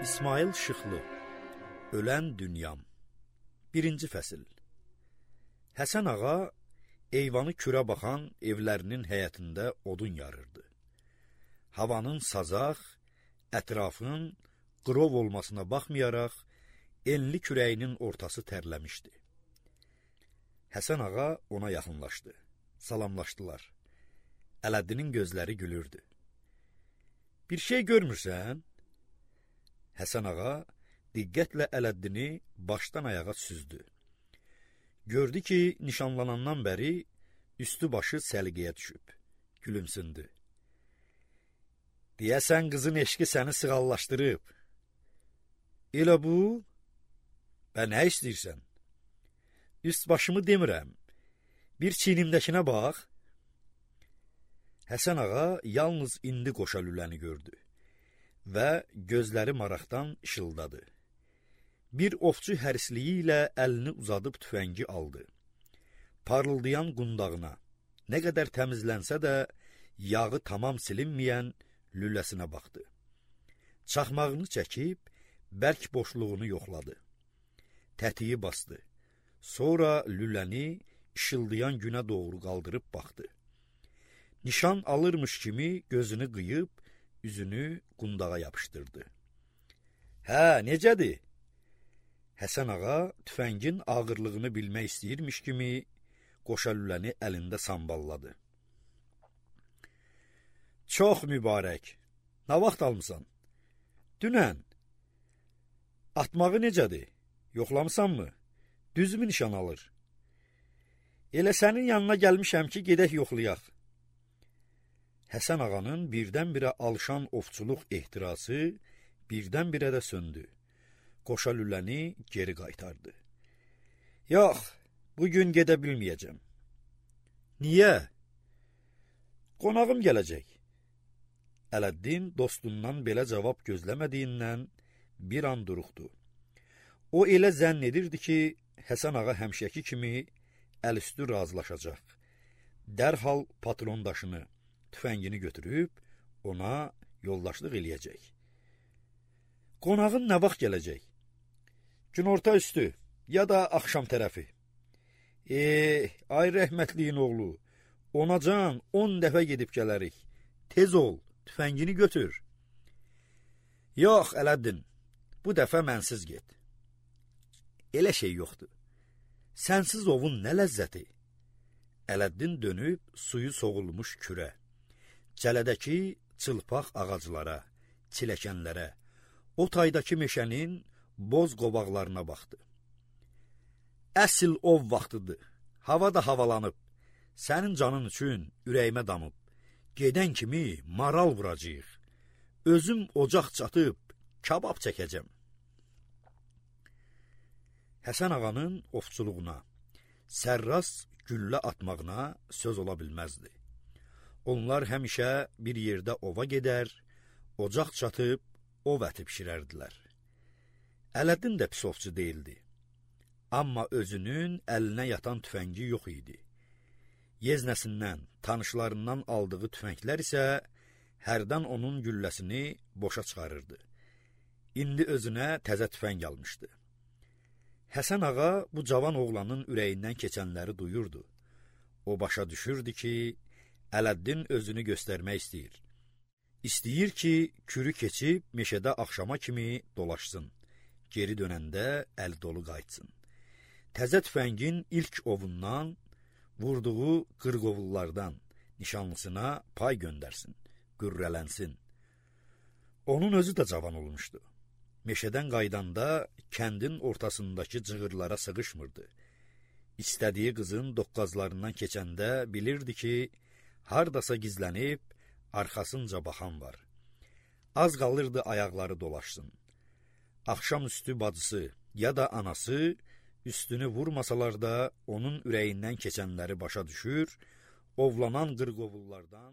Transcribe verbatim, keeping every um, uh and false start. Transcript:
İsmail Şıxlı, Ölən Dünyam. Birinci fəsil. Həsən ağa eyvanı kürə baxan evlərinin həyətində odun yarırdı. Havanın sazaq, ətrafın qırov olmasına baxmayaraq, enli kürəyinin ortası tərləmişdi. Həsən ağa ona yaxınlaşdı, salamlaşdılar. Ələddinin gözləri gülürdü. Bir şey görmürsən? Həsən ağa diqqətlə Ələddini başdan ayağa süzdü. Gördü ki, nişanlanandan bəri üstü başı səliqəyə düşüb, gülümsündü. Deyəsən qızın eşqi səni sığallaşdırıb. Elə bu? Bə nə istəyirsən? Üst başımı demirəm, bir çiynimdəkinə bax. Həsən ağa yalnız indi qoşa lüləni gördü və gözləri maraqdan işıldadı. Bir ovçu hərisliyi ilə əlini uzadıb tüfəngi aldı. Parıldayan qundağına, nə qədər təmizlənsə də yağı tamam silinməyən lüləsinə baxdı. Çaxmağını çəkib, bərk boşluğunu yoxladı. Tətiyi bastı. Sonra lüləni işıldayan günə doğru qaldırıb baxdı. Nişan alırmış kimi gözünü qıyıb, üzünü qundağa yapışdırdı. Hə, necədir? Həsən ağa tüfəngin ağırlığını bilmək istəyirmiş kimi qoşa lüləni əlində samballadı. Çox mübarək. Nə vaxt almısan? Dünən. Atmağı necədir? Yoxlamısanmı? Düzmü nişan alır? Elə sənin yanına gəlmişəm ki, gedək yoxlayaq. Həsən ağanın birdən-birə alışan ovçuluq ehtirası birdən-birə də söndü. Qoşa lüləni geri qaytardı. Yox, bugün gedə bilməyəcəm. Niyə? Qonağım gələcək. Ələddin dostundan belə cavab gözləmədiyindən bir an duruxdu. O elə zənn edirdi ki, Həsən ağa həmişəki kimi əlüstü razılaşacaq. Dərhal patrondaşını, tüfəngini götürüb ona yoldaşlıq eləyəcək. Qonağın nə vaxt gələcək? Günorta üstü, ya da axşam tərəfi. Eee, ay rəhmətliyin oğlu, onacan on dəfə gedib gələrik. Tez ol, tüfəngini götür. Yox, Ələddin, bu dəfə mənsiz get. Elə şey yoxdur. Sənsiz ovun nə ləzzəti? Ələddin dönüb suyu soğulmuş kürə, cələdəki çılpaq ağaclara, çiləkənlərə, o taydakı meşənin boz qovaqlarına baxdı. Əsl ov vaxtıdır, hava da havalanıb, sənin canın üçün ürəyimə damıb, gedən kimi maral vuracaq, özüm ocaq çatıb, kabab çəkəcəm. Həsən ağanın ovçuluğuna, sərras güllə atmağına söz ola bilməzdi. Onlar həmişə bir yerdə ova gedər, ocaq çatıb, ov əti pişirərdilər. Ələddin də pis ovçu deyildi. Amma özünün əlinə yatan tüfəngi yox idi. Yeznəsindən, tanışlarından aldığı tüfənglər isə hərdən onun gülləsini boşa çıxarırdı. İndi özünə təzə tüfəng almışdı. Həsən ağa bu cavan oğlanın ürəyindən keçənləri duyurdu. O başa düşürdü ki, Ələddin özünü göstərmək istəyir. İstəyir ki, kürü keçib meşədə axşama kimi dolaşsın. Geri dönəndə əl dolu qayıtsın. Təzə tüfəngin ilk ovundan, vurduğu qırqovullardan nişanlısına pay göndərsin, qürrələnsin. Onun özü də cavan olmuşdu. Meşədən qaydanda kəndin ortasındakı cığırlara sığışmırdı. İstədiyi qızın doqqazlarından keçəndə bilirdi ki, hardasa gizlənib, arxasınca baxan var. Az qalırdı ayaqları dolaşsın. Axşam üstü bacısı ya da anası üstünü vurmasalar da onun ürəyindən keçənləri başa düşür, ovlanan qırqovullardan